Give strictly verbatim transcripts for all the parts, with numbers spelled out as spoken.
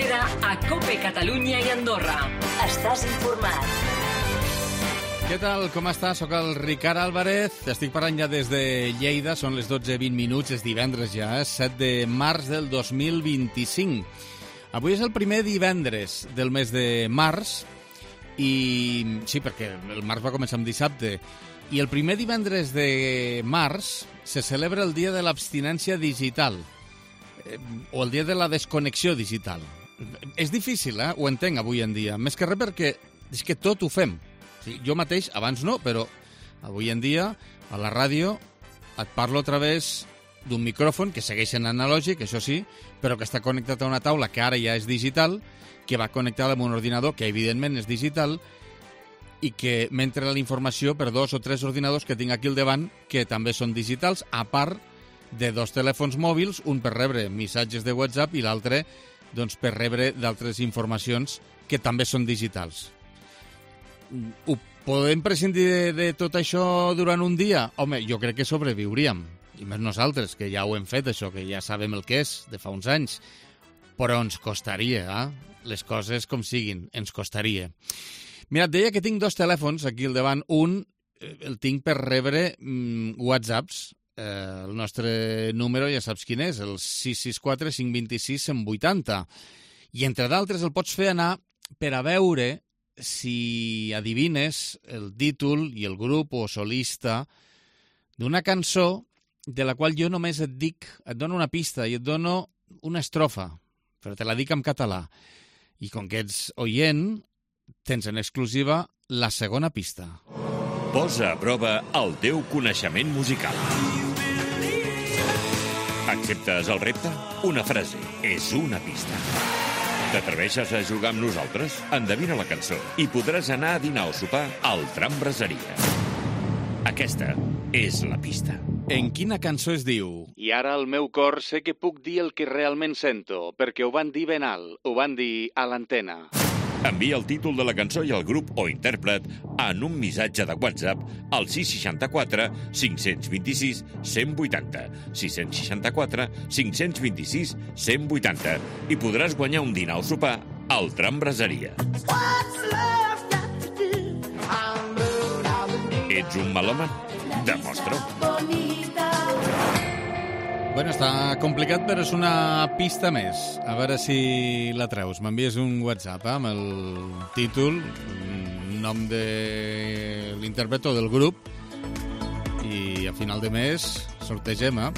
tercera a COPE Catalunya i Andorra. Estàs informat. Què tal? Com estàs? Soc el Ricard Álvarez. Estic parlant ja des de Lleida. Són les dotze i vint minuts. És divendres ja, eh? set de març del dos mil vint-i-cinc. Avui és el primer divendres del mes de març. I sí, perquè el març va començar amb dissabte. I el primer divendres de març se celebra el dia de l'abstinència digital. Eh, o el dia de la desconnexió digital. És difícil, eh? Ho entenc avui en dia. Més que res perquè és que tot ho fem. Sí, jo mateix, abans no, però avui en dia a la ràdio et parlo a través d'un micròfon que segueix en analògic, això sí, però que està connectat a una taula que ara ja és digital, que va connectada amb un ordinador que evidentment és digital i que m'entra la informació per dos o tres ordinadors que tinc aquí al davant que també són digitals, a part de dos telèfons mòbils, un per rebre missatges de WhatsApp i l'altre doncs, per rebre d'altres informacions que també són digitals. Ho podem prescindir de, de tot això durant un dia? Home, jo crec que sobreviuríem. I més nosaltres, que ja ho hem fet, això, que ja sabem el que és, de fa uns anys. Però ens costaria, eh? Les coses com siguin, ens costaria. Mira, et deia que tinc dos telèfons aquí al davant. Un el tinc per rebre mm, whatsapps. Eh, el nostre número ja saps quin és, el sis sis quatre cinc dos sis cent vuitanta. I entre d'altres el pots fer anar per a veure si adivines el títol i el grup o solista d'una cançó de la qual jo només et dic, et dono una pista i et dono una estrofa, però te la dic en català. I com que ets oient, tens en exclusiva la segona pista. Posa a prova el teu coneixement musical. Acceptes el repte? Una frase és una pista. T'atreveixes a jugar amb nosaltres? Endevina la cançó i podràs anar a dinar o sopar al Tram Braseria. Aquesta és la pista. En quina cançó es diu? I ara al meu cor sé que puc dir el que realment sento, perquè ho van dir ben alt, ho van dir a l'antena. Envia el títol de la cançó i el grup o intèrpret en un missatge de WhatsApp al sis sis quatre cinc dos sis cent vuitanta, sis sis quatre cinc dos sis cent vuitanta i podràs guanyar un dinar o sopar al Tram Braseria. Ets un melòman? Demostra-ho. Bueno, està complicat, però és una pista més. A veure si la treus. M'envies un WhatsApp eh, amb el títol, el nom de l'intèrpret o del grup, i a final de mes sortegem, eh?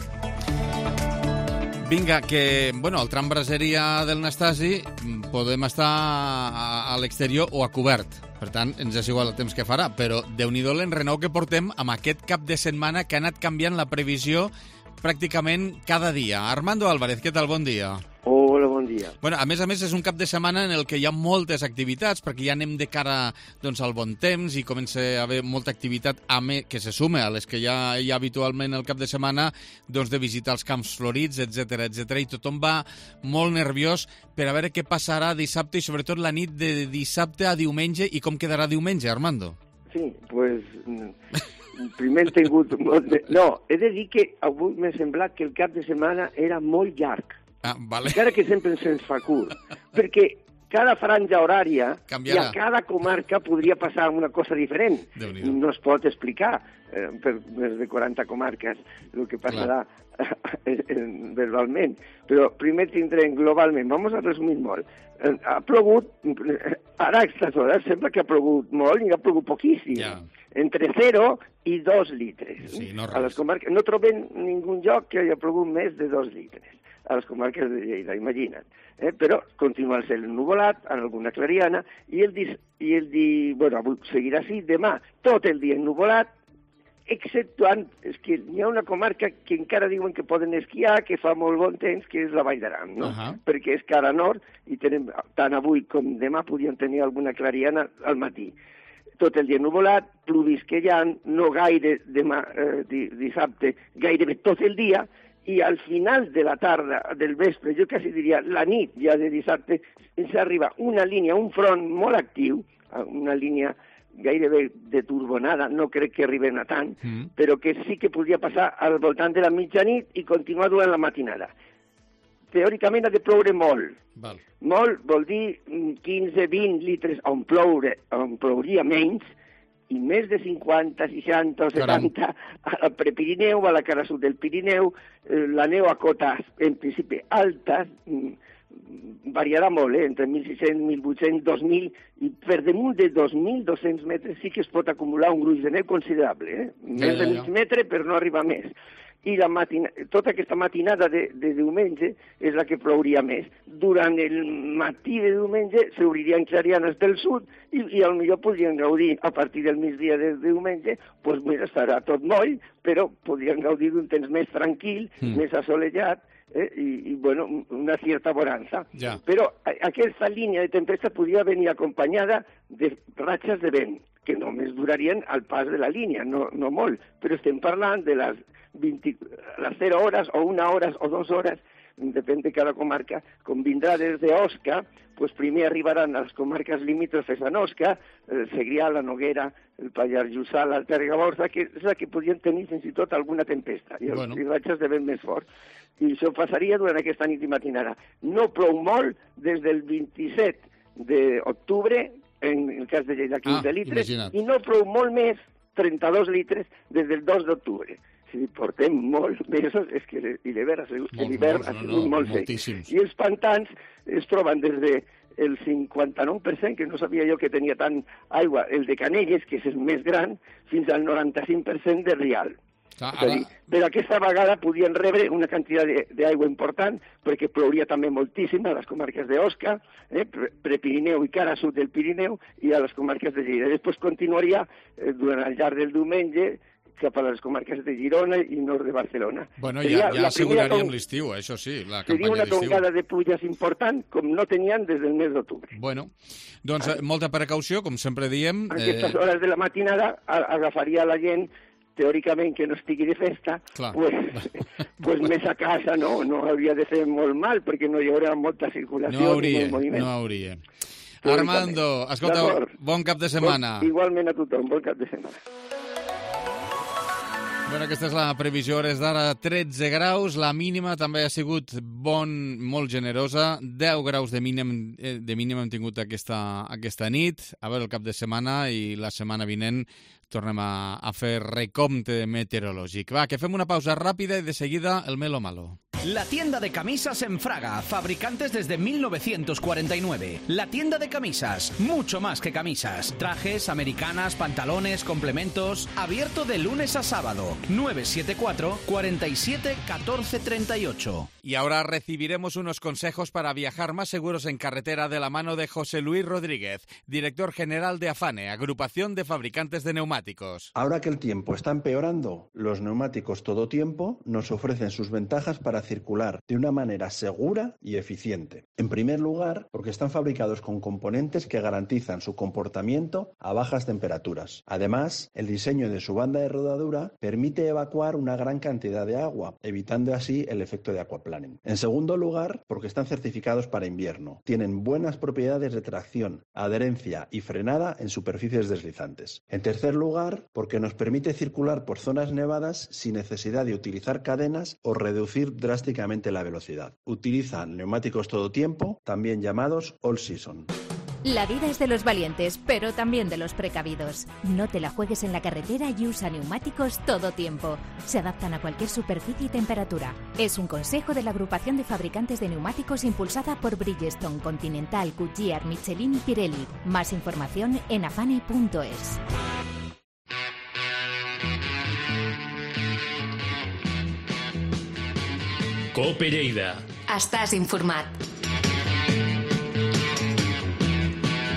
Vinga, que, bueno, al Tram Braseria del Nastasi podem estar a, a l'exterior o a cobert. Per tant, ens és igual el temps que farà, però déu-n'hi-do l'enrenou que portem amb aquest cap de setmana que ha anat canviant la previsió pràcticament cada dia. Armando Álvarez, què tal? Bon dia. Hola, bon dia. Bueno, a més a més, és un cap de setmana en el que hi ha moltes activitats, perquè ja anem de cara doncs, al bon temps i comença a haver molta activitat a me, que se sume a les que ja hi ha habitualment el cap de setmana, doncs, de visitar els camps florits, etcètera, etcètera, i tothom va molt nerviós per a veure què passarà dissabte i sobretot la nit de dissabte a diumenge i com quedarà diumenge, Armando. Sí, pues... primer he tingut... Molt de... No, he de dir que avui m'ha semblat que el cap de setmana era molt llarg. Ah, vale. Encara que sempre se'ns fa curt. Perquè cada franja horària canviarà. I a cada comarca podria passar una cosa diferent. No es pot explicar eh, per més de quaranta comarques el que passarà verbalment. Però primer tindrem globalment. Vamos a resumir molt. Ha plogut, ara a aquestes hores sembla que ha plogut molt i ha plogut poquíssim. Ja. Entre zero i dos litres. Sí, no, a les comarques, no trobem ningú lloc que hagi plogut més de dos litres a les comarques de Lleida, imagina't. Eh? Però continua el cel ennuvolat, en alguna clariana, i el, dis, i el di, bueno, avui seguirà així, demà tot el dia ennuvolat, exceptuant, és que hi ha una comarca que encara diuen que poden esquiar, que fa molt bon temps, que és la Vall d'Aran, no? Uh-huh. Perquè és cara nord, i tenem, tant avui com demà podien tenir alguna clariana al matí. Tot el dia ennuvolat, pluvisquejant, no gaire demà, eh, dissabte, gairebé tot el dia, i al final de la tarda, del vespre, jo quasi diria la nit ja de dissabte, ens arriba una línia, un front molt actiu, una línia gairebé de turbonada, no crec que arribem a tant, mm. però que sí que podria passar al voltant de la mitjanit i continuar durant la matinada. teòricament ha de ploure molt. Val. Molt vol dir quinze vint litres on, ploure, on plouria menys, i més de cinquanta, seixanta o setanta al Prepirineu, a la cara sud del Pirineu, eh, la neu a cotes, en principi, altes, variarà molt, eh? entre mil sis-cents, mil vuit-cents, dos mil, i per damunt de dos mil dos-cents metres sí que es pot acumular un gruix de neu considerable, eh? més de mig metre per no arribar més. I la matina... tota aquesta matinada de, de diumenge és la que plouria més. Durant el matí de diumenge s'obririen clarianes del sud i, i potser podrien gaudir a partir del migdia de diumenge, doncs mira, estarà tot moll, però podrien gaudir d'un temps més tranquil, mm. més assolellat, eh? I, i bueno, una certa bonança. Ja. Però a, aquesta línia de tempesta podria venir acompanyada de ratxes de vent, que només durarien al pas de la línia, no, no molt, però estem parlant de les vint, les zero hores o una hora o dos hores, depèn de cada comarca, com vindrà des d'Osca, doncs primer arribaran a les comarques limítrofes a Osca, el Segrià, la Noguera, el Pallars Jussà, l'Alta Ribagorça, que és la que podrien tenir fins i tot alguna tempesta, i els bueno. ratxes de vent més fort. I això passaria durant aquesta nit i matinada. No plou molt des del vint-i-set d'octubre, en el cas de Lleida, quinze ah, litres, imagina't. I no plou molt més, trenta-dos litres, des del dos d'octubre. Si portem molts mesos, és que l'hivern ha sigut, l'hivern ha sigut no, no, molt sec. Moltíssims. I els pantans es troben des de el cinquanta-nou per cent, que no sabia jo que tenia tant aigua, el de Canelles, que és el més gran, fins al noranta-cinc per cent de Rial. Ah, és a dir, però aquesta vegada podien rebre una quantitat d'aigua important, perquè plouria també moltíssim a les comarques d'Osca, eh, Prepirineu i cara sud del Pirineu, i a les comarques de Lleida. Després continuaria eh, durant el llarg del diumenge cap a les comarques de Girona i nord de Barcelona. Bueno, ja, ja asseguraríem l'estiu, això sí, la campanya d'estiu. Seria una tongada de pluges important, com no tenien des del mes d'octubre. Bueno, doncs ah. molta precaució, com sempre diem. A aquestes eh... hores de la matinada agafaria la gent, teòricament que no estigui de festa, pues, pues més a casa, no? No hauria de fer molt mal, perquè no hi haurà molta circulació no hauria, ni moviment. No hauria. Armando, escolta, bon cap de setmana. Bon, igualment a tothom, bon cap de setmana. Bueno, aquesta és la previsió, hores d'ara tretze graus, la mínima també ha sigut bon, molt generosa, deu graus de mínim, de mínim hem tingut aquesta, aquesta nit, a veure el cap de setmana i la setmana vinent tornem a, a fer recompte meteorològic. Va, que fem una pausa ràpida i de seguida el Melo Malo. La tienda de camisas en Fraga, fabricantes desde mil novecientos cuarenta y nueve. La tienda de camisas, mucho más que camisas. Trajes, americanas, pantalones, complementos. Abierto de lunes a sábado. nueve siete cuatro, cuatro siete, uno cuatro tres ocho. Y ahora recibiremos unos consejos para viajar más seguros en carretera de la mano de José Luis Rodríguez, director general de AFANE, Agrupación de Fabricantes de Neumáticos. Ahora que el tiempo está empeorando, los neumáticos todo tiempo nos ofrecen sus ventajas para circular de una manera segura y eficiente. En primer lugar, porque están fabricados con componentes que garantizan su comportamiento a bajas temperaturas. Además, el diseño de su banda de rodadura permite evacuar una gran cantidad de agua, evitando así el efecto de aquaplaning. En segundo lugar, porque están certificados para invierno. Tienen buenas propiedades de tracción, adherencia y frenada en superficies deslizantes. En tercer lugar, porque nos permite circular por zonas nevadas sin necesidad de utilizar cadenas o reducir drásticamente la velocidad. Utilizan neumáticos todo tiempo, también llamados all season. La vida es de los valientes, pero también de los precavidos. No te la juegues en la carretera y usa neumáticos todo tiempo. Se adaptan a cualquier superficie y temperatura. Es un consejo de la Agrupación de Fabricantes de Neumáticos impulsada por Bridgestone, Continental, Goodyear, Michelin y Pirelli. Más información en afane punto es. Cope Lleida. Estàs informat.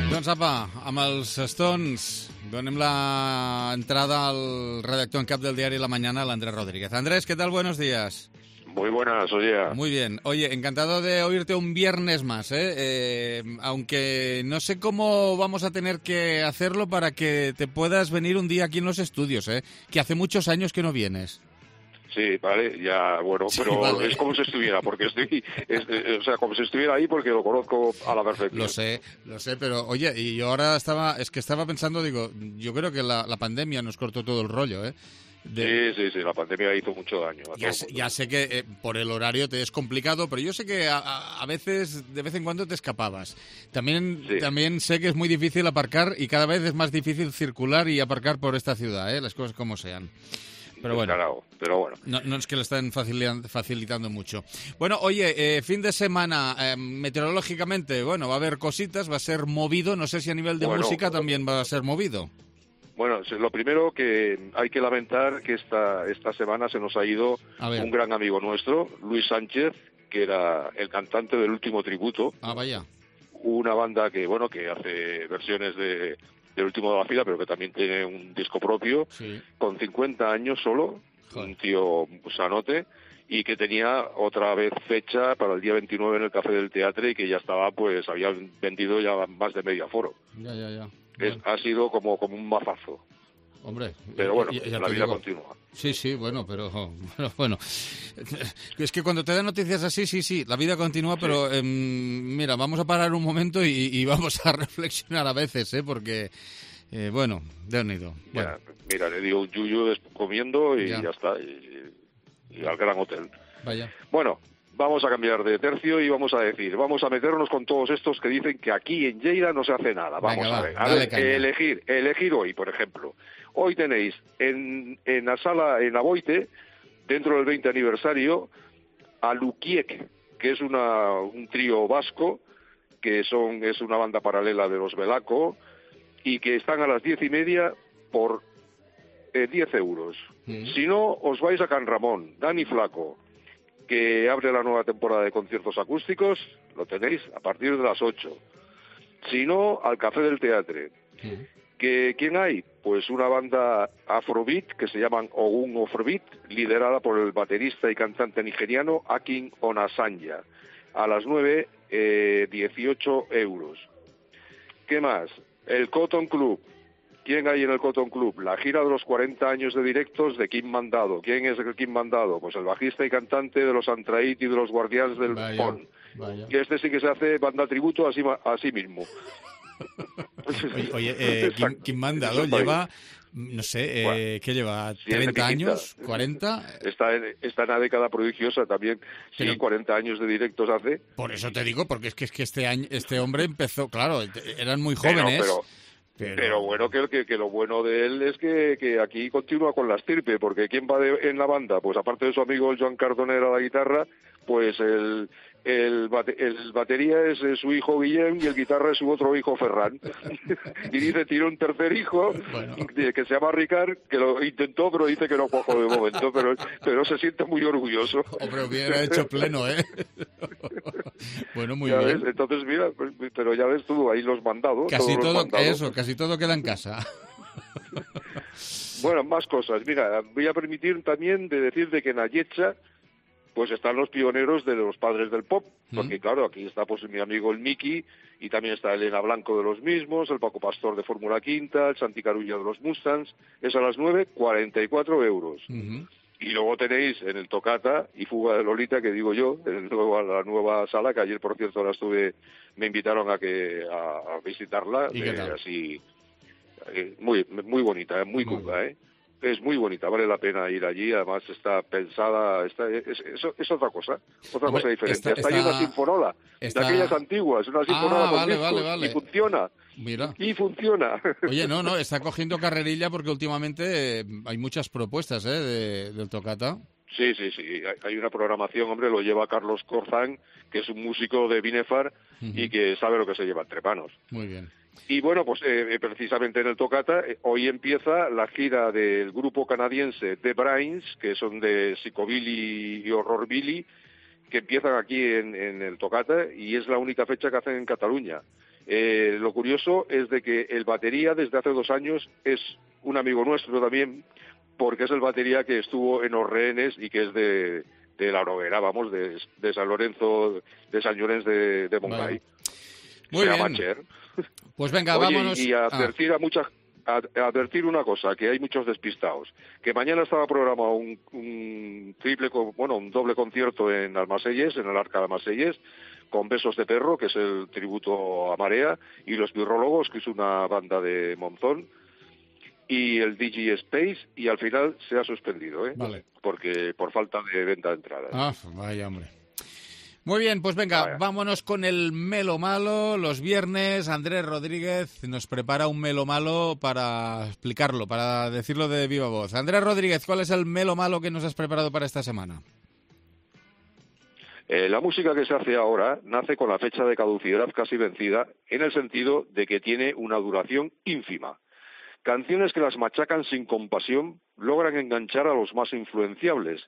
Doncs apa, amb els Stones donem la entrada al redactor en cap del diari La Mañana, al Andrés Rodríguez. Andrés, ¿qué tal? Buenos días. Muy buenas, oye. Muy bien. Oye, encantado de oírte un viernes más, ¿eh? Eh, aunque no sé cómo vamos a tener que hacerlo para que te puedas venir un día aquí en los estudios, ¿eh? Que hace muchos años que no vienes. Sí, vale, ya, bueno, sí, pero vale. Es como si estuviera, porque estoy, es, o sea, como si estuviera ahí porque lo conozco a la perfección. Lo sé, lo sé, pero oye, y yo ahora estaba, es que estaba pensando, digo, yo creo que la, la pandemia nos cortó todo el rollo, ¿eh? De... Sí, sí, sí, la pandemia hizo mucho daño. A ya, sé, ya sé que eh, por el horario te es complicado, pero yo sé que a, a, a veces, de vez en cuando te escapabas. También, sí. también sé que es muy difícil aparcar y cada vez es más difícil circular y aparcar por esta ciudad, ¿eh? Las cosas como sean. Pero bueno, Descarado, pero bueno. No, no es que lo estén facilitando, facilitando mucho. Bueno, oye, eh, fin de semana, eh, meteorológicamente, bueno, va a haber cositas, va a ser movido. No sé si a nivel de bueno, música también va a ser movido. Bueno, lo primero que hay que lamentar que esta, esta semana se nos ha ido un gran amigo nuestro, Luis Sánchez, que era el cantante del Último Tributo. Ah, vaya. Una banda que, bueno, que hace versiones de... del Último de la Fila, pero que también tiene un disco propio, sí. con cincuenta años solo, Joder. Un tío sanote, y que tenía otra vez fecha para el día veintinueve en el Café del Teatre y que ya estaba, pues, habían vendido ya más de medio aforo. Ya, ya, ya. Es, ha sido como, como un mazazo. Hombre, pero bueno, ya, ya la vida digo. continúa. Sí, sí, bueno, pero, pero bueno, es que cuando te dan noticias así, sí, sí, la vida continúa, sí. pero eh, mira, vamos a parar un momento y, y vamos a reflexionar a veces, ¿eh? Porque, eh, bueno, de unido. Bueno. Mira, le digo un yuyu comiendo y ya, ya está, y, y al gran hotel. Vaya. Bueno, vamos a cambiar de tercio y vamos a decir, vamos a meternos con todos estos que dicen que aquí en Lleida no se hace nada. Vamos Venga, a ver, va, a ver, elegir, elegir hoy, por ejemplo. Hoy tenéis en, en la sala, en Aboite, dentro del veinte aniversario, a Lukiek, que es una, un trío vasco, que son es una banda paralela de los Belaco, y que están a las diez y media por eh, diez euros. Mm. Si no, os vais a Can Ramón, Dani Flaco, que abre la nueva temporada de conciertos acústicos, lo tenéis a partir de las ocho. Si no, al Café del Teatre. Mm. ¿Que, ¿Quién hay? Pues una banda afrobeat que se llaman Ogun Afrobeat, liderada por el baterista y cantante nigeriano Akin Onasanya. A las nueve, eh, dieciocho euros. ¿Qué más? El Cotton Club. ¿Quién hay en el Cotton Club? La gira de los cuarenta años de directos de Kim Mandado. ¿Quién es el Kim Mandado? Pues el bajista y cantante de los Antraít y de los Guardianes del Pon. Y este sí que se hace banda tributo a sí, a sí mismo. Oye, oye eh, Kim, Kim Mandado lleva, no sé, eh, bueno, ¿qué lleva? ¿treinta años? ¿cuarenta? Está en, está en una década prodigiosa también. Sí, pero, cuarenta años de directos hace. Por eso te digo, porque es que, es que este año este hombre empezó, claro, eran muy jóvenes. Pero, pero, pero... pero bueno, que, que, que lo bueno de él es que, que aquí continúa con la estirpe, porque ¿quién va de, en la banda? Pues aparte de su amigo el Joan Cardonera a la guitarra, pues el... El, bate, el batería es, es su hijo Guillem y el guitarra es su otro hijo Ferran. Y dice, tiene un tercer hijo, bueno, que se llama Ricard, que lo intentó, pero dice que no cojo de momento, pero, pero se siente muy orgulloso. Hombre, hubiera hecho pleno, ¿eh? Bueno, muy ya bien. Ves, entonces, mira, pero ya ves tú, ahí los mandados. Casi todo, mandados. Eso, casi todo queda en casa. Bueno, más cosas. Mira, voy a permitir también de decir de que en Ayetxa pues están los pioneros de los padres del pop, porque mm. claro, aquí está pues mi amigo el Miki, y también está Elena Blanco de los mismos, el Paco Pastor de Fórmula Quinta, el Santi Carulla de los Mustangs, es a las nueve, cuarenta y cuatro euros. Mm-hmm. Y luego tenéis en el Tocata y Fuga de Lolita, que digo yo, en la nueva sala, que ayer por cierto la estuve, me invitaron a que a, a visitarla, ¿Y qué tal? Eh, así, eh, muy muy bonita, muy cuca, ¿eh? Es muy bonita, vale la pena ir allí, además está pensada, está, es, es, es otra cosa, otra Hombre, cosa diferente. Está, Hasta está, hay una sinfonola, está... de aquellas antiguas, una sinfonola ah, con vale, discos, vale, vale. y funciona. Mira. Y funciona. Oye, no, no, está cogiendo carrerilla porque últimamente eh, hay muchas propuestas, ¿eh?, de, del Tocata. Sí, sí, sí, hay una programación, hombre, lo lleva Carlos Corzán, que es un músico de Binefar uh-huh. y que sabe lo que se lleva entre manos. Muy bien. Y bueno, pues eh, precisamente en el Tocata, eh, hoy empieza la gira del grupo canadiense The Brains, que son de Psicobilly y Horrorbilly, que empiezan aquí en, en el Tocata y es la única fecha que hacen en Cataluña. Eh, lo curioso es de que el batería desde hace dos años es un amigo nuestro también, porque es el batería que estuvo en Los Rehenes y que es de, de La Noguera, vamos, de, de San Lorenzo, de San Llorenç de, de Montgai. Vale. Muy Se bien. Cher. Pues venga, Oye, vámonos. Y advertir ah. a muchas... A, a advertir una cosa, que hay muchos despistados, que mañana estaba programado un, un triple, bueno, un doble concierto en Almaselles, en el Arca de Almaselles, con Besos de Perro, que es el tributo a Marea, y Los Birrólogos, que es una banda de Monzón, y el D J Space, y al final se ha suspendido, ¿eh? Vale. Porque por falta de venta de entradas. Ah, vaya hombre. Muy bien, pues venga, Vaya. vámonos con el Melo Malo. Los viernes Andrés Rodríguez nos prepara un Melo Malo para explicarlo, para decirlo de viva voz. Andrés Rodríguez, ¿cuál es el Melo Malo que nos has preparado para esta semana? Eh, la música que se hace ahora nace con la fecha de caducidad casi vencida, en el sentido de que tiene una duración ínfima. Canciones que las machacan sin compasión logran enganchar a los más influenciables,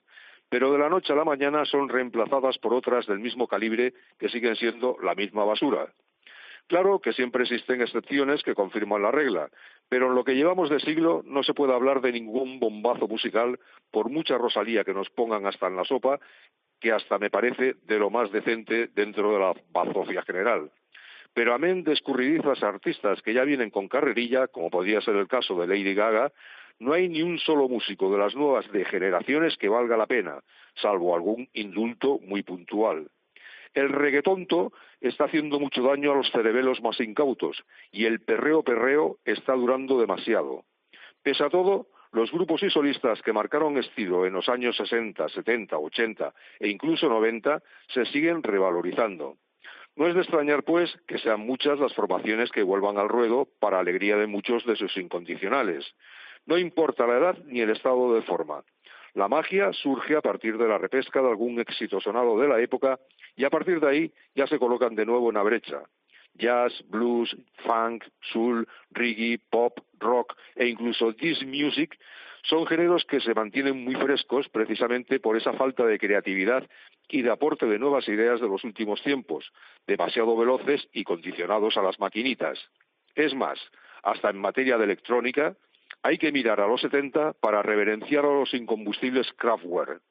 pero de la noche a la mañana son reemplazadas por otras del mismo calibre que siguen siendo la misma basura. Claro que siempre existen excepciones que confirman la regla, pero en lo que llevamos de siglo no se puede hablar de ningún bombazo musical, por mucha Rosalía que nos pongan hasta en la sopa, que hasta me parece de lo más decente dentro de la bazofia general. Pero amén de escurridizas artistas que ya vienen con carrerilla, como podría ser el caso de Lady Gaga, no hay ni un solo músico de las nuevas degeneraciones que valga la pena, salvo algún indulto muy puntual. El reggaetonto está haciendo mucho daño a los cerebelos más incautos, y el perreo perreo está durando demasiado. Pese a todo, los grupos y solistas que marcaron estilo en los años sesenta, setenta, ochenta e incluso noventa se siguen revalorizando. No es de extrañar, pues, que sean muchas las formaciones que vuelvan al ruedo para alegría de muchos de sus incondicionales. No importa la edad ni el estado de forma. La magia surge a partir de la repesca de algún éxito sonado de la época y a partir de ahí ya se colocan de nuevo en la brecha. Jazz, blues, funk, soul, reggae, pop, rock e incluso disc music son géneros que se mantienen muy frescos precisamente por esa falta de creatividad y de aporte de nuevas ideas de los últimos tiempos, demasiado veloces y condicionados a las maquinitas. Es más, hasta en materia de electrónica, hay que mirar a los setenta para reverenciar a los incombustibles Kraftwerk.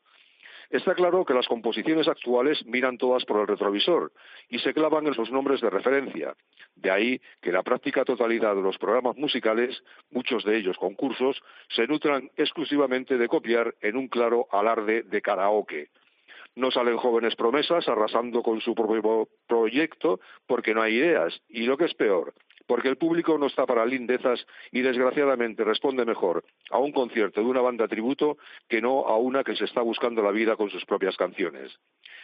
Está claro que las composiciones actuales miran todas por el retrovisor y se clavan en sus nombres de referencia. De ahí que la práctica totalidad de los programas musicales, muchos de ellos concursos, se nutran exclusivamente de copiar en un claro alarde de karaoke. No salen jóvenes promesas arrasando con su propio proyecto porque no hay ideas, y lo que es peor, porque el público no está para lindezas y desgraciadamente responde mejor a un concierto de una banda tributo que no a una que se está buscando la vida con sus propias canciones.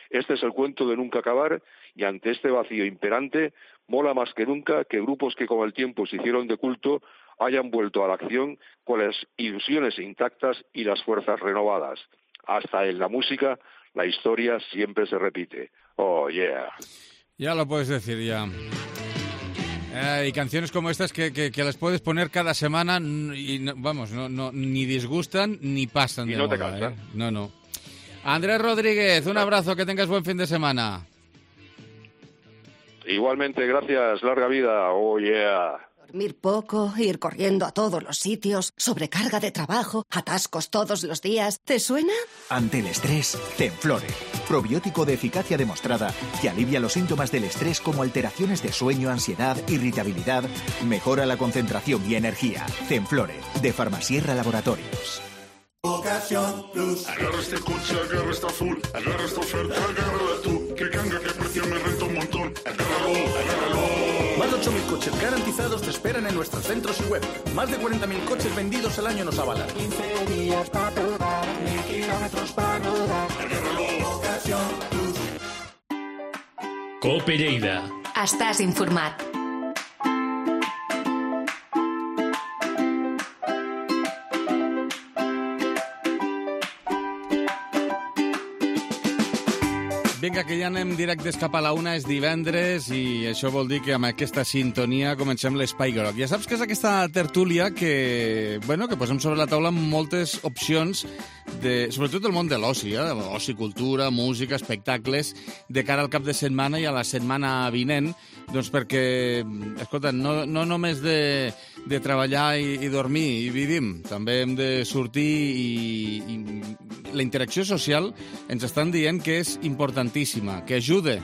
Este es el cuento de nunca acabar y ante este vacío imperante mola más que nunca que grupos que con el tiempo se hicieron de culto hayan vuelto a la acción con las ilusiones intactas y las fuerzas renovadas. Hasta en la música la historia siempre se repite. Oh, yeah. Ya lo puedes decir, ya. Eh, y canciones como estas que, que, que las puedes poner cada semana y, no, vamos, no, no, ni disgustan ni pasan y de no moda, te cansan. ¿eh? No, no. Andrés Rodríguez, un abrazo, que tengas buen fin de semana. Igualmente, gracias, larga vida. Oh, yeah. Dormir poco, ir corriendo a todos los sitios, sobrecarga de trabajo, atascos todos los días. ¿Te suena? Ante el estrés, Zenflore. Probiótico de eficacia demostrada que alivia los síntomas del estrés como alteraciones de sueño, ansiedad, irritabilidad, mejora la concentración y energía. Zenflore, de Farmasierra Laboratorios. Ocasión Plus. Agarra este coche, agarra esta full, agarra esta oferta, agárrala tú. Que canga, que precio me renta un montón. Agárralo, agárralo. Más de ocho mil coches garantizados te esperan en nuestros centros y web. Más de cuarenta mil coches vendidos al año nos avalan. quince días para probar, mil kilómetros para rodar. Agárralo, Ocasión Plus. Cope Lleida. Estàs informat. Vinga, que ja anem directes cap a la una, és divendres i això vol dir que amb aquesta sintonia comencem l'Espai Groc. Ja saps que és aquesta tertúlia que, bueno, que posem sobre la taula moltes opcions, de, sobretot el món de l'oci, eh? Oci, cultura, música, espectacles, de cara al cap de setmana i a la setmana vinent, doncs perquè, escolta, no, no només de, de treballar i, i dormir i vivim, també hem de sortir i, i la interacció social ens estan dient que és importantíssima, que ajuda,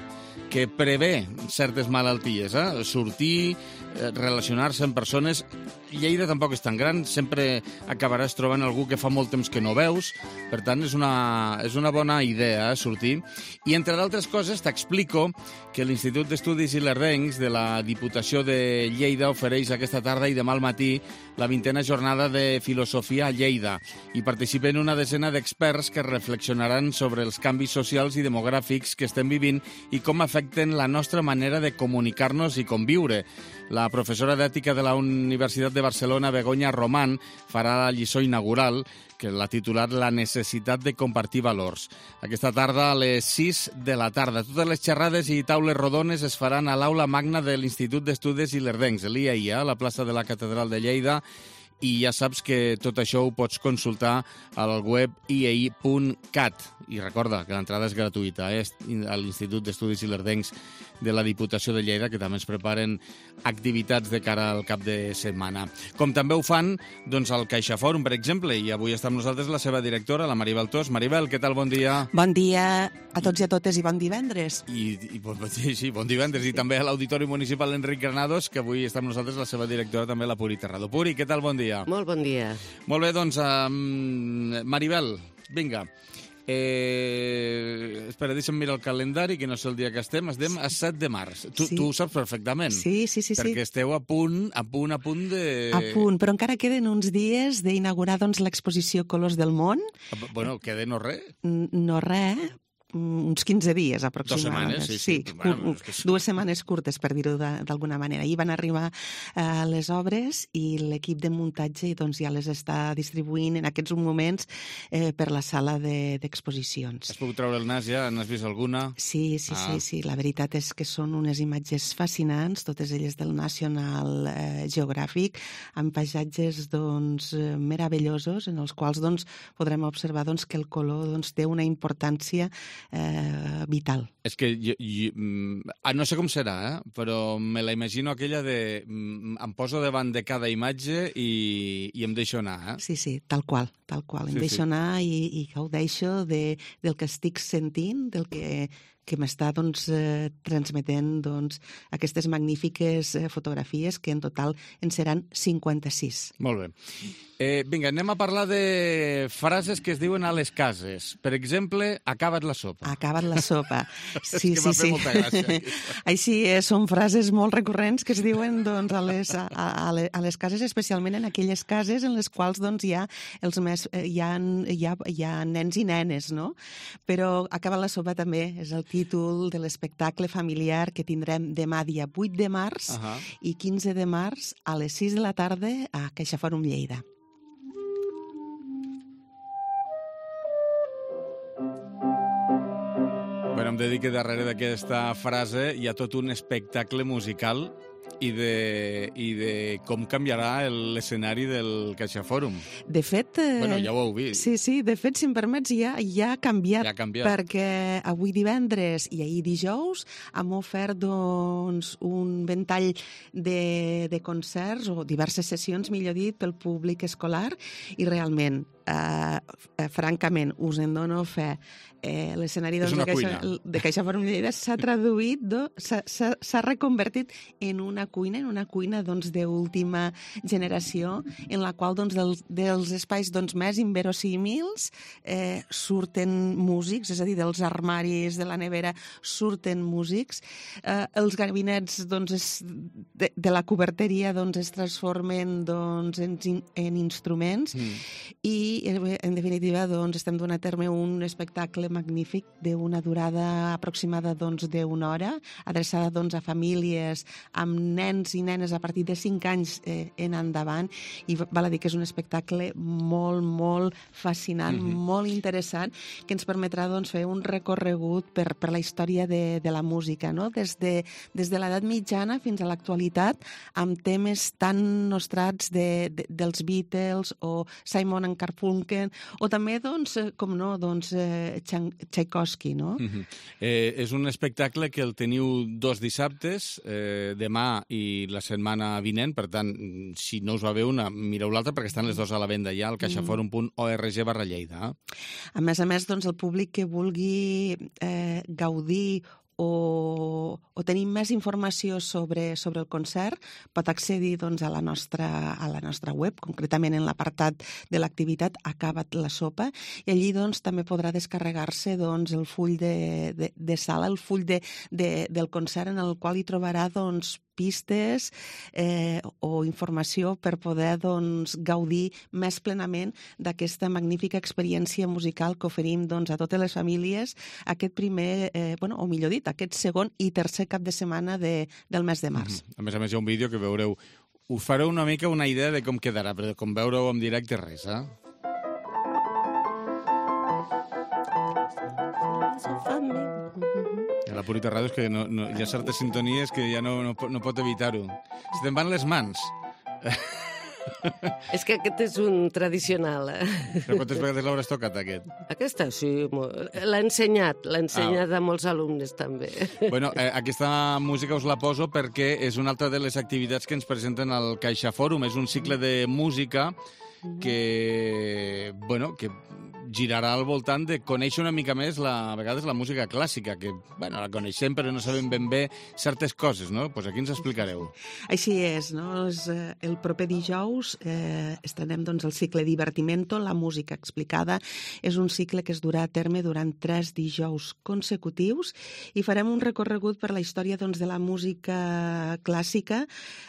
que prevé certes malalties, eh? Sortir, relacionar-se amb persones Lleida tampoc és tan gran, sempre acabaràs trobant algú que fa molt temps que no veus, per tant, és una, és una bona idea eh, sortir. I, entre d'altres coses, t'explico que l'Institut d'Estudis Ilerdencs de la Diputació de Lleida ofereix aquesta tarda i demà al matí la vintena jornada de Filosofia a Lleida. Hi participen una desena d'experts que reflexionaran sobre els canvis socials i demogràfics que estem vivint i com afecten la nostra manera de comunicar-nos i conviure. La professora d'Ètica de la Universitat de Barcelona, Begoña Román, farà la lliçó inaugural, que l'ha titulat La necessitat de compartir valors. Aquesta tarda a les sis de la tarda. Totes les xerrades i taules rodones es faran a l'aula magna de l'Institut d'Estudis Ilerdencs, l'I A I, a la plaça de la Catedral de Lleida, i ja saps que tot això ho pots consultar al web i a i punt cat. I recorda que l'entrada és gratuïta, eh? A l'Institut d'Estudis Ilerdencs de la Diputació de Lleida, que també ens preparen activitats de cara al cap de setmana. Com també ho fan doncs, al CaixaFòrum, per exemple, i avui està amb nosaltres la seva directora, la Maribel Tos. Maribel, què tal? Bon dia. Bon dia a tots i a totes i bon divendres. I, i sí, sí, bon divendres. I també a l'Auditori Municipal Enric Granados, que avui està amb nosaltres la seva directora, també la Puri Terrado. Puri, què tal? Bon dia. Molt bon dia. Molt bé, doncs, um, Maribel, vinga. Eh, espera, deixa'm mirar el calendari, que no sé el dia que estem. Estem a set de març. Tu, sí. tu ho saps perfectament. Sí, sí, sí. Perquè sí. esteu a punt, a punt, a punt de... A punt, però encara queden uns dies d'inaugurar doncs, l'exposició Colors del Món. Bueno, queda no res. No res, uns quinze dies aproximadament. Dos setmanes, sí. sí. sí bueno, que... Dues setmanes curtes, per dir-ho d'alguna manera. Ahir van arribar eh, les obres i l'equip de muntatge doncs, ja les està distribuint en aquests moments eh, per la sala d'exposicions. Has pogut treure el nas ja? N'has vist alguna? Sí, sí, ah. sí, sí. La veritat és que són unes imatges fascinants, totes elles del National eh, Geographic, amb paisatges doncs, meravellosos en els quals doncs, podrem observar doncs, que el color doncs, té una importància Eh, vital. És que jo, jo, no sé com serà, eh? Però me la imagino aquella de em poso davant de cada imatge i, i em deixo anar. Eh? Sí, sí, tal qual, tal qual. Em sí, deixo sí. anar i, i gaudeixo de, del que estic sentint, del que que m'està doncs, eh, transmetent doncs, aquestes magnífiques eh, fotografies, que en total en seran cinquanta-sis. Molt bé. Eh, vinga, anem a parlar de frases que es diuen a les cases. Per exemple, acaba't la sopa. Acaba't la sopa. Sí, és que sí, sí. molta gràcia. Així eh, són frases molt recurrents que es diuen doncs, a, les, a, a, a les cases, especialment en aquelles cases en les quals doncs, hi, ha els més, hi, ha, hi, ha, hi ha nens i nenes, no? Però acaba't la sopa també és el títol de l'espectacle familiar que tindrem demà dia vuit de març uh -huh. i quinze de març a les sis de la tarda a CaixaFòrum Lleida. Bueno, em dedico darrere d'aquesta frase hi ha tot un espectacle musical i de, i de com canviarà l'escenari del CaixaFòrum. De fet... Eh, bueno, ja ho heu vist. Sí, sí, de fet, si em permets, ja, ja ha canviat. Ja ha canviat. Perquè avui divendres i ahir dijous hem ofert doncs, un ventall de, de concerts o diverses sessions, millor dit, pel públic escolar i realment, eh, eh, francament, us en dono fe, eh, l'escenari doncs, de, Caixa, de CaixaFòrum Lleida s'ha traduït, s'ha reconvertit en una cuina, en una cuina doncs, d'última generació, en la qual doncs, dels, dels espais doncs, més inverosímils eh, surten músics, és a dir, dels armaris de la nevera surten músics, eh, els gabinets doncs, es, de, de la coberteria doncs, es transformen doncs, en, en instruments mm. i, en definitiva, doncs, estem donant a terme un espectacle magnífic d'una durada aproximada doncs, d'una hora, adreçada doncs, a famílies amb nens i nenes a partir de cinc anys eh, en endavant, i val a dir que és un espectacle molt, molt fascinant, mm-hmm. molt interessant, que ens permetrà doncs, fer un recorregut per, per la història de, de la música, no? Des de, des de l'edat mitjana fins a l'actualitat, amb temes tan nostrats de, de, dels Beatles o Simon and Garfunkel, o també, doncs, com no, doncs, eh, Tchaikovsky, no? Mm-hmm. eh, és un espectacle que el teniu dos dissabtes, eh, demà i la setmana vinent, per tant, si no us va bé una, mireu l'altra, perquè estan les dues a la venda ja al caixaforum punt org barra Lleida. A més a més, doncs, el públic que vulgui eh, gaudir o, o tenim més informació sobre, sobre el concert, pot accedir doncs, a, la nostra, a la nostra web, concretament en l'apartat de l'activitat Acaba't la sopa, i allí doncs, també podrà descarregar-se doncs, el full de, de, de sala, el full de, de, del concert, en el qual hi trobarà doncs, pistes eh, o informació per poder doncs, gaudir més plenament d'aquesta magnífica experiència musical que oferim doncs, a totes les famílies aquest primer, eh, bueno, o millor dit, aquest segon i tercer cap de setmana de, del mes de març. Mm-hmm. A més a més, hi ha un vídeo que veureu. Us fareu una mica una idea de com quedarà, però com veureu en directe res, eh? La Purita Ràdio és que no, no, hi ha certes sintonies que ja no, no, no pot evitar-ho. Se te'n van les mans. És que aquest és un tradicional. Eh? Però quantes vegades l'hauràs tocat, aquest? Aquesta sí, l'ha ensenyat, l'ha ensenyat ah. a molts alumnes també. Bueno, eh, aquesta música us la poso perquè és una altra de les activitats que ens presenten al Caixa Fòrum. És un cicle de música que, bueno, que girarà al voltant de conèixer una mica més, la, a vegades, la música clàssica, que, bueno, la coneixem però no sabem ben bé certes coses, no? Pues aquí ens explicareu. Així és, no? És, eh, el proper dijous eh, estrenem doncs, el cicle Divertimento, la música explicada. És un cicle que es durà a terme durant tres dijous consecutius i farem un recorregut per la història doncs, de la música clàssica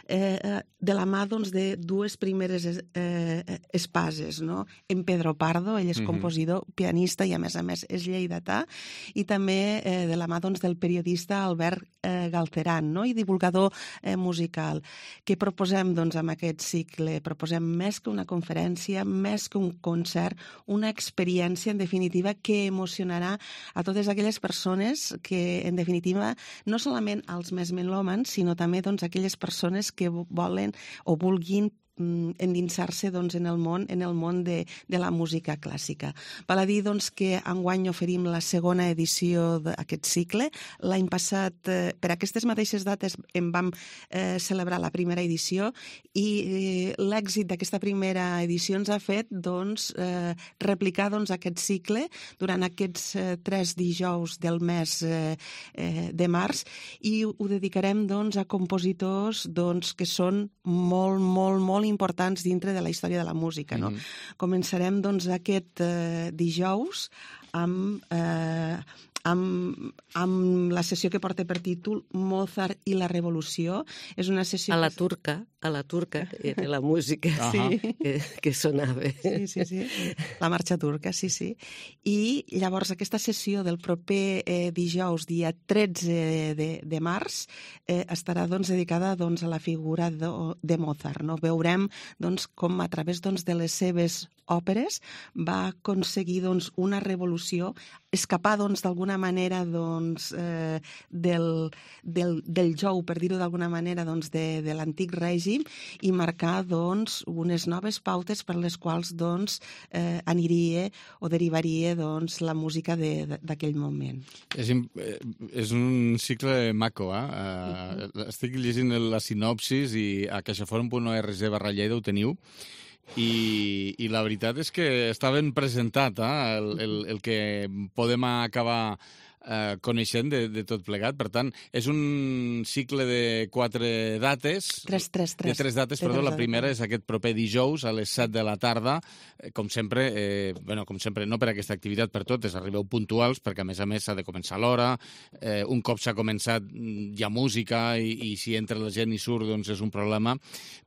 eh, de la mà doncs, de dues primeres eh, espases, no? En Pedro Pardo, ell és compositor, compositor, pianista i, a més a més, és lleidatà, i també eh, de la mà doncs, del periodista Albert eh, Galceran, no? I divulgador eh, musical. Què proposem doncs, amb aquest cicle? Proposem més que una conferència, més que un concert, una experiència, en definitiva, que emocionarà a totes aquelles persones que, en definitiva, no solament als més melòmans, sinó també doncs, aquelles persones que volen o vulguin endinsar-se doncs, en el món, en el món de, de la música clàssica. Val a dir doncs, que enguany oferim la segona edició d'aquest cicle. L'any passat, eh, per aquestes mateixes dates, en vam eh, celebrar la primera edició i eh, l'èxit d'aquesta primera edició ens ha fet doncs, eh, replicar doncs, aquest cicle durant aquests eh, tres dijous del mes eh, eh, de març i ho dedicarem doncs, a compositors doncs, que són molt, molt, molt importants dintre de la història de la música. No? Mm-hmm. Començarem doncs, aquest eh, dijous amb, eh, amb, amb la sessió que porta per títol Mozart i la Revolució. És una sessió... A la turca, a la turca, era la música uh -huh. que, que sonava. Sí, sí, sí. La marxa turca, sí, sí. I llavors aquesta sessió del proper eh, dijous, dia tretze de, de març, eh, estarà doncs, dedicada doncs, a la figura de, de Mozart. No? Veurem doncs, com a través doncs, de les seves òperes va aconseguir doncs, una revolució, escapar doncs, d'alguna manera doncs, eh, del, del, del jou, per dir-ho d'alguna manera, doncs, de, de l'antic règim i marcar doncs, unes noves pautes per les quals doncs, eh, aniria o derivaria doncs, la música d'aquell moment. És, és un cicle maco, eh? Uh, estic llegint la sinopsis i a caixaforum punt org barra Lleida ho teniu. I, i la veritat és que està ben presentat eh? el, el, el que podem acabar eh, coneixent de, de tot plegat. Per tant, és un cicle de quatre dates. Tres, tres, tres. De tres dates, perdó. La primera és aquest proper dijous a les set de la tarda. Eh, com sempre, eh, bueno, com sempre, no per aquesta activitat, per totes, arribeu puntuals, perquè a més a més s'ha de començar a l'hora. Eh, un cop s'ha començat hi ha música i, i si entra la gent i surt, doncs és un problema.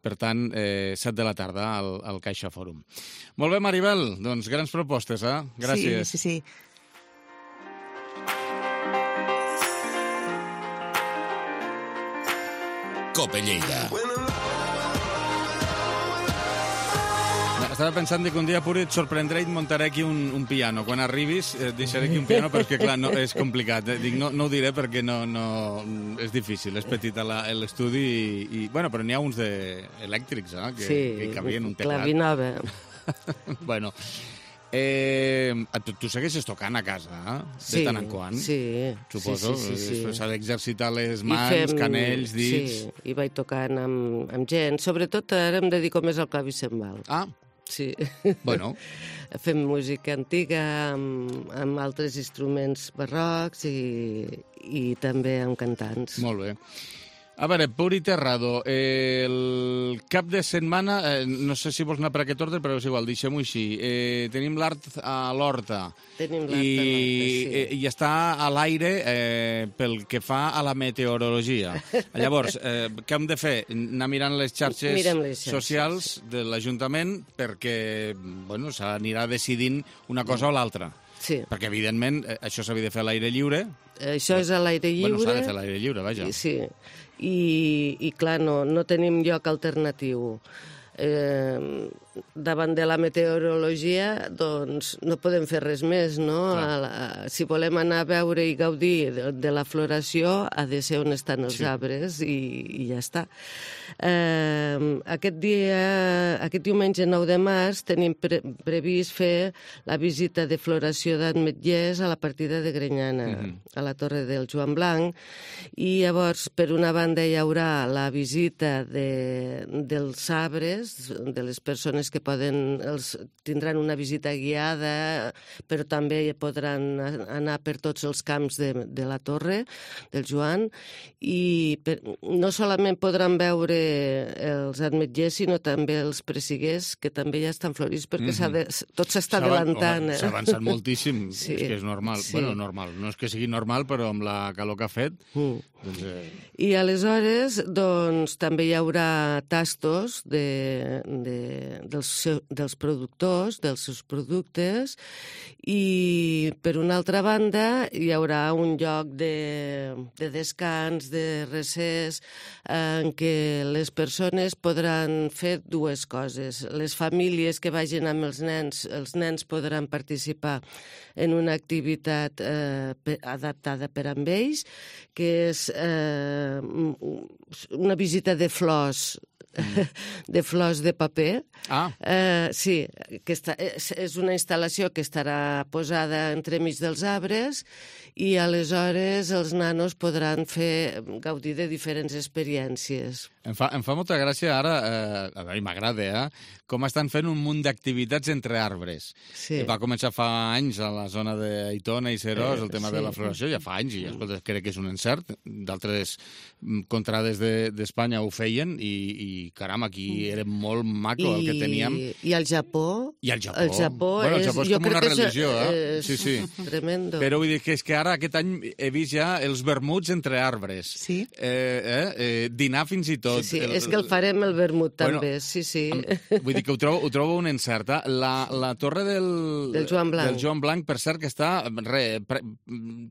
Per tant, eh, set de la tarda al, al Caixa Fòrum. Molt bé, Maribel, doncs grans propostes, eh? Gràcies. Sí, sí, sí. Cope Lleida. Estava pensant que un dia pur et sorprendré i et muntaré aquí un, un piano. Quan arribis et deixaré aquí un piano perquè, clar, no, és complicat. Dic, no, no ho diré perquè no, no, és difícil, és petit l'estudi i, i, bueno, però n'hi ha uns de elèctrics, eh, que, sí, que cabien un teclat. Clavinava. Bueno, eh, tu, tu segueixes tocant a casa, eh? De sí, tant en quant, sí, suposo. Sí, sí, sí, sí. S'ha d'exercitar les mans, fem, canells, dits... Sí, i vaig tocant amb, amb gent. Sobretot ara em dedico més al clavicembal. Ah, sí. Bueno. Fem música antiga amb, amb altres instruments barrocs i, i també amb cantants. Molt bé. A veure, Puri Terrado, eh, el cap de setmana, eh, no sé si vols anar per aquest ordre, però és igual, deixem-ho així. Eh, tenim l'Art a l'Horta. Tenim l'Art I, a l'Horta, sí. eh, I està a l'aire eh, pel que fa a la meteorologia. Llavors, eh, què hem de fer? Anar mirant les xarxes, les xarxes socials de l'Ajuntament perquè bueno, s'anirà decidint una cosa o l'altra. Sí. Perquè, evidentment, això s'havia de fer a l'aire lliure. Això és a l'aire lliure. Bueno, s'ha de fer a l'aire lliure, vaja. Sí, i, i clar, no, no tenim lloc alternatiu. Eh, davant de la meteorologia, doncs no podem fer res més, no? A, a, si volem anar a veure i gaudir de, de la floració, ha de ser on estan els sí. arbres i, i ja està. Eh, aquest dia, aquest diumenge nou de març, tenim pre previst fer la visita de floració d'Ametllers a la partida de Grenyana, mm-hmm. a la Torre del Joan Blanc, i llavors, per una banda, hi haurà la visita de, dels arbres, de les persones que poden, els, tindran una visita guiada, però també podran anar per tots els camps de, de la Torre del Joan, i per, no solament podran veure els ametllers, sinó també els pressiguers, que també ja estan florits, perquè mm-hmm. de, tot s'està adelantant. Eh? S'ha avançat moltíssim, sí. és que és normal. Sí. Bueno, normal, no és que sigui normal, però amb la calor que ha fet... Mm. Doncs, eh... I aleshores, doncs, també hi haurà tastos de, de, dels, dels productors, dels seus productes, i per una altra banda hi haurà un lloc de, de descans, de recés, en què les persones podran fer dues coses. Les famílies que vagin amb els nens, els nens podran participar en una activitat eh, adaptada per a ells, que és eh, una visita de flors, mm. de flors de paper. Ah. Eh, sí, que està, és, és una instal·lació que estarà posada entremig dels arbres i aleshores els nanos podran fer gaudir de diferents experiències. Em fa, em fa molta gràcia ara, eh, a veure, m'agrada, eh, com estan fent un munt d'activitats entre arbres. Sí. Va començar fa anys a la zona d'Aitona i Serós, el tema sí. de la floració, ja fa anys, i escolta, crec que és un encert. D'altres contrades d'Espanya de, ho feien i, i caram, aquí era molt maco I, el que teníem. I al Japó? I al Japó. El Japó, bueno, el és, Japó és com una religió, és, eh? És sí, sí. Tremendo. Però vull dir que és que ara aquest any he vist ja els vermuts entre arbres. Sí. Eh, eh, eh, dinar fins i tot. Sí, sí, el, és que el farem el vermut bueno, també, sí, sí. Vull dir que ho trobo, ho trobo un encert. Eh? La, la torre del, del, Joan Blanc. del Joan Blanc, per cert, que està re, pre,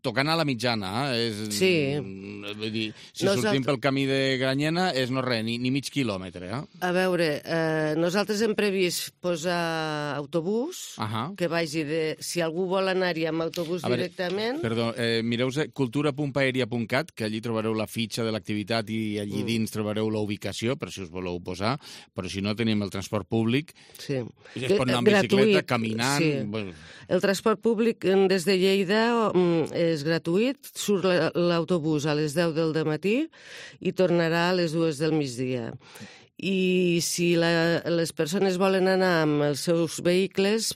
tocant a la mitjana. Eh? És, sí. Vull dir, si Nosaltres... sortim pel camí de Granyena és no res, ni, ni mig quilòmetre. Eh? A veure, eh, nosaltres hem previst posar autobús, uh -huh. que vagi de... Si algú vol anar-hi amb autobús veure, directament... Perdó, eh, mireu cultura punt paeria punt cat, que allí trobareu la fitxa de l'activitat i allí mm. dins trobareu la ubicació, per si us voleu posar, però si no tenim el transport públic, sí. es pot anar amb bicicleta, caminant... Sí. Bueno. El transport públic des de Lleida és gratuït, surt l'autobús a les deu del dematí i tornarà a les dues del migdia. I si la, les persones volen anar amb els seus vehicles,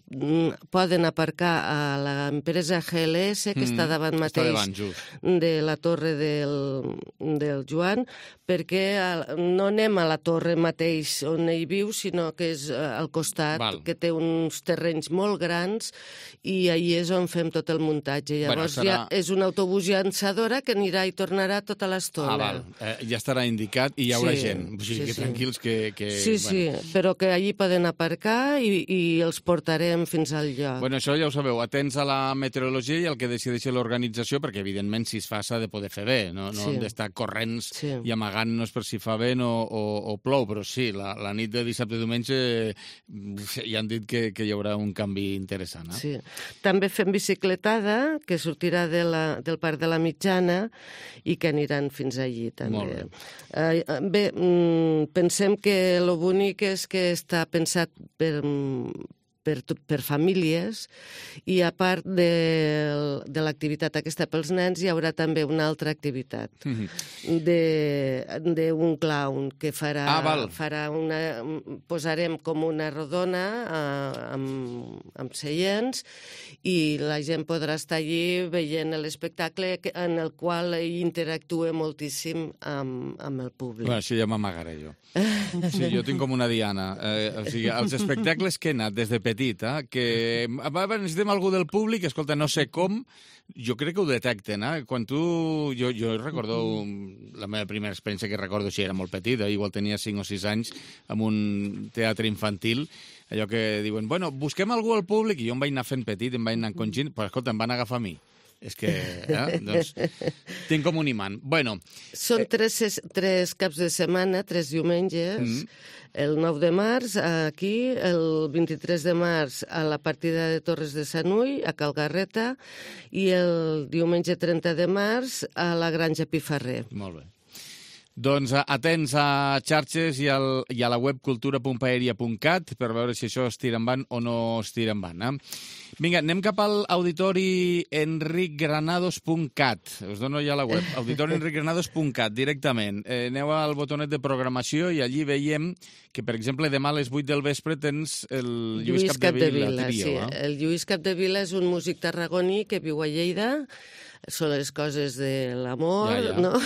poden aparcar a l'empresa G L S, que mm, està davant mateix està davant, de la torre del, del Joan, perquè no anem a la torre mateix on ell viu, sinó que és al costat, Val. que té uns terrenys molt grans, i allí és on fem tot el muntatge. Llavors bueno, serà... ja és un autobús llançadora que anirà i tornarà tota l'estona. Ah, val. Eh, ja estarà indicat i hi haurà sí, gent. O sigui, sí, que sí. tranquils que... que sí, bueno. sí, però que allí poden aparcar i, i els portarem fins al lloc. Bueno, això ja ho sabeu, atents a la meteorologia i al que decideixi l'organització, perquè evidentment si es fa s'ha de poder fer bé, no, no sí. hem d'estar corrents sí. i amagant-nos per si fa vent o, o, o plou, però sí, la, la nit de dissabte i diumenge ja han dit que, que hi haurà un canvi interessant. Eh? Sí. També fem bicicletada, que sortirà de la, del Parc de la Mitjana i que aniran fins allí també. Molt bé. Eh, bé, pensem que lo bonic és que està pensat per, per, per famílies, i a part de, de l'activitat aquesta pels nens hi haurà també una altra activitat d'un clown que farà, ah, farà una... posarem com una rodona eh, amb, amb seients i la gent podrà estar allí veient l'espectacle en el qual interactua moltíssim amb, amb el públic. Bueno, això ja m'amagaré jo. Sí, jo tinc com una diana. Eh, o sigui, els espectacles que he anat des de petit, eh, que necessitem algú del públic, escolta, no sé com, jo crec que ho detecten, eh? Quan tu... Jo, jo recordo... La meva primera experiència que recordo, si era molt petita, igual tenia cinc o sis anys, en un teatre infantil, allò que diuen, bueno, busquem algú al públic, i jo em vaig anar fent petit, em vaig anar encongint, però escolta, em van agafar a mi. És que, eh, doncs, tinc com un imant. Bueno... Són tres, tres caps de setmana, tres diumenges, mm-hmm. El nou de març aquí, el vint-i-tres de març a la partida de Torres de Sanull, a Calgarreta, i el diumenge trenta de març a la Granja Pifarrer. Molt bé. Doncs atents a xarxes i, al, i a la web cultura punt paeria punt cat per veure si això es tira endavant o no es tira endavant. Eh? Vinga, anem cap al auditori enric granados punt cat. Us dono ja la web, auditori enric granados punt cat, directament. Eh, aneu al botonet de programació i allí veiem que, per exemple, demà a les vuit del vespre tens el Lluís, Lluís Capdevila. Capdevila trio, sí. Eh? El Lluís Capdevila és un músic tarragoní que viu a Lleida. Són les coses de l'amor, ja, ja. no?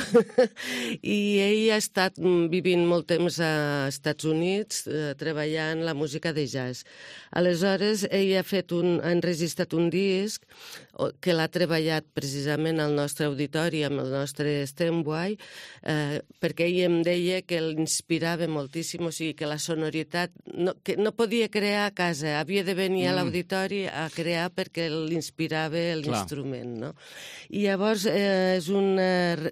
I ell ha estat vivint molt temps als Estats Units eh, treballant la música de jazz. Aleshores, ell ha fet un, ha enregistrat un disc que l'ha treballat precisament al nostre auditori, amb el nostre Steinway, eh, perquè ell em deia que l'inspirava moltíssim, o sigui, que la sonoritat no, que no podia crear a casa, havia de venir mm. a l'auditori a crear perquè l'inspirava l'instrument, no? I llavors eh, és un,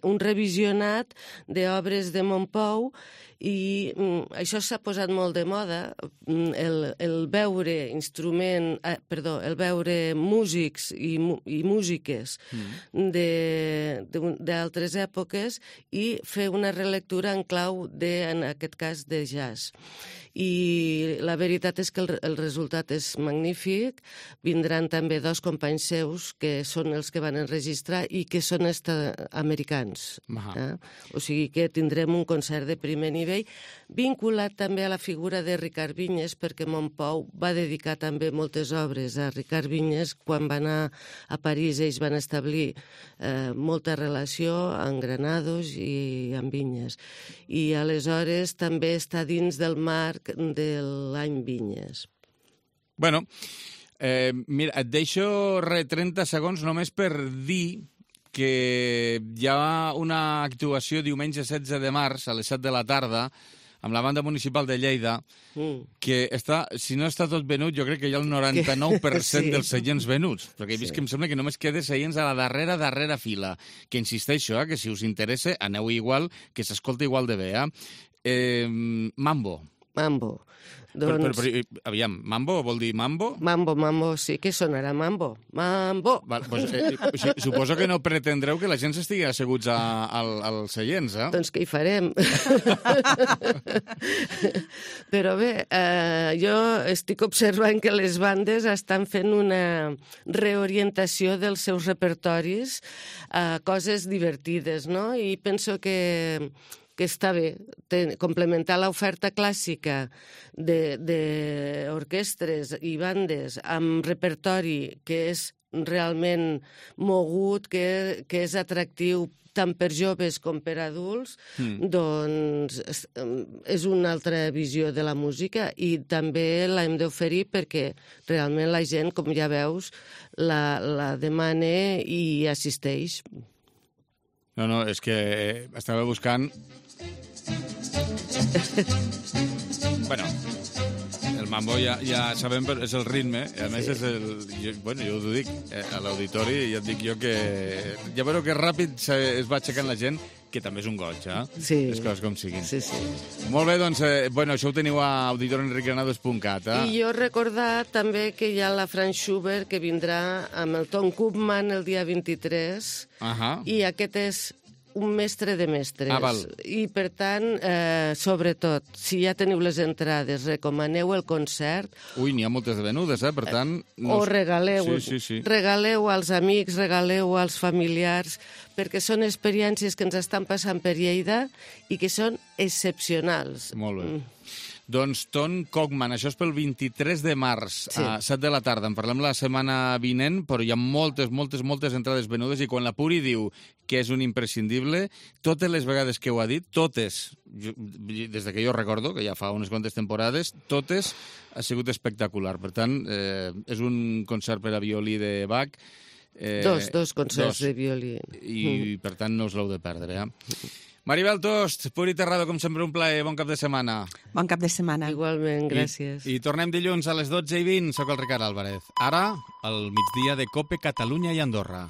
un revisionat d'obres de Montpou i mm, això s'ha posat molt de moda, el, el veure instrument, eh, perdó, el veure músics i, i músiques mm. d'altres èpoques i fer una relectura en clau de, en aquest cas, de jazz. I la veritat és que el, el resultat és magnífic. Vindran també dos companys seus que són els que van enregistrar i que són americans. Eh? O sigui que tindrem un concert de primer nivell vinculat també a la figura de Ricard Vinyes, perquè Montpou va dedicar també moltes obres a Ricard Vinyes. Quan va anar a París ells van establir eh, molta relació amb Granados i amb Vinyes. I aleshores també està dins del marc de l'any Vinyes. Bueno, eh, mira, et deixo re trenta segons només per dir que hi ha una actuació diumenge setze de març a les set de la tarda amb la banda municipal de Lleida, mm. que està, si no està tot venut, jo crec que hi ha el noranta-nou per cent sí. dels seients venuts, perquè he vist sí. que em sembla que només queda seients a la darrera, darrera fila, que insisteixo, eh, que si us interessa, aneu igual, que s'escolta igual de bé. Eh? Eh, Mambo. Mambo. Doncs... Però, però, però, aviam, mambo vol dir mambo? Mambo, mambo, sí que sonarà mambo. Mambo! Val, doncs, eh, suposo que no pretendreu que la gent s'estigui asseguts a, al, als seients, eh? Doncs què hi farem? Però bé, eh, jo estic observant que les bandes estan fent una reorientació dels seus repertoris a coses divertides, no? I penso que que està bé, ten, complementar l'oferta clàssica d'orquestres i bandes amb repertori que és realment mogut, que, que és atractiu tant per joves com per adults, mm. doncs és una altra visió de la música i també l'hem d'oferir perquè realment la gent, com ja veus, la, la demana i assisteix. No, no, és que estava buscant... Bueno, el mambo ja, ja sabem, però és el ritme, i a més sí. és el... Jo, bueno, jo us ho dic, eh, a l'auditori ja et dic jo que... Ja veureu que ràpid se, es va aixecant la gent, que també és un goig, eh? Sí. Les coses com siguin. Sí, sí. Molt bé, doncs, eh, bueno, això ho teniu a auditori enric granados punt cat, eh? I jo recordar també que hi ha la Franz Schubert que vindrà amb el Tom Koopman el dia vint-i-tres, uh-huh. i aquest és un mestre de mestres. Ah, val. I, per tant, eh, sobretot, si ja teniu les entrades, recomaneu el concert. Ui, n'hi ha moltes de venudes, eh? Per tant... No... O regaleu, sí, sí, sí. regaleu als amics, regaleu als familiars, perquè són experiències que ens estan passant per Lleida i que són excepcionals. Molt bé. Mm. Doncs Ton Cogman, això és pel vint-i-tres de març, sí. A set de la tarda. En parlem la setmana vinent, però hi ha moltes, moltes, moltes entrades venudes i quan la Puri diu que és un imprescindible, totes les vegades que ho ha dit, totes, jo, des de que jo recordo, que ja fa unes quantes temporades, totes ha sigut espectacular. Per tant, eh, és un concert per a violí de Bach. Eh, dos, dos concerts dos, de violí. I, mm. per tant, no us l'heu de perdre, eh? Maribel Tost, Puri Terrado, com sempre un plaer, bon cap de setmana. Bon cap de setmana. Igualment, gràcies. I, i tornem dilluns a les dotze i vint, soc el Ricard Álvarez. Ara, al migdia de COPE Catalunya i Andorra.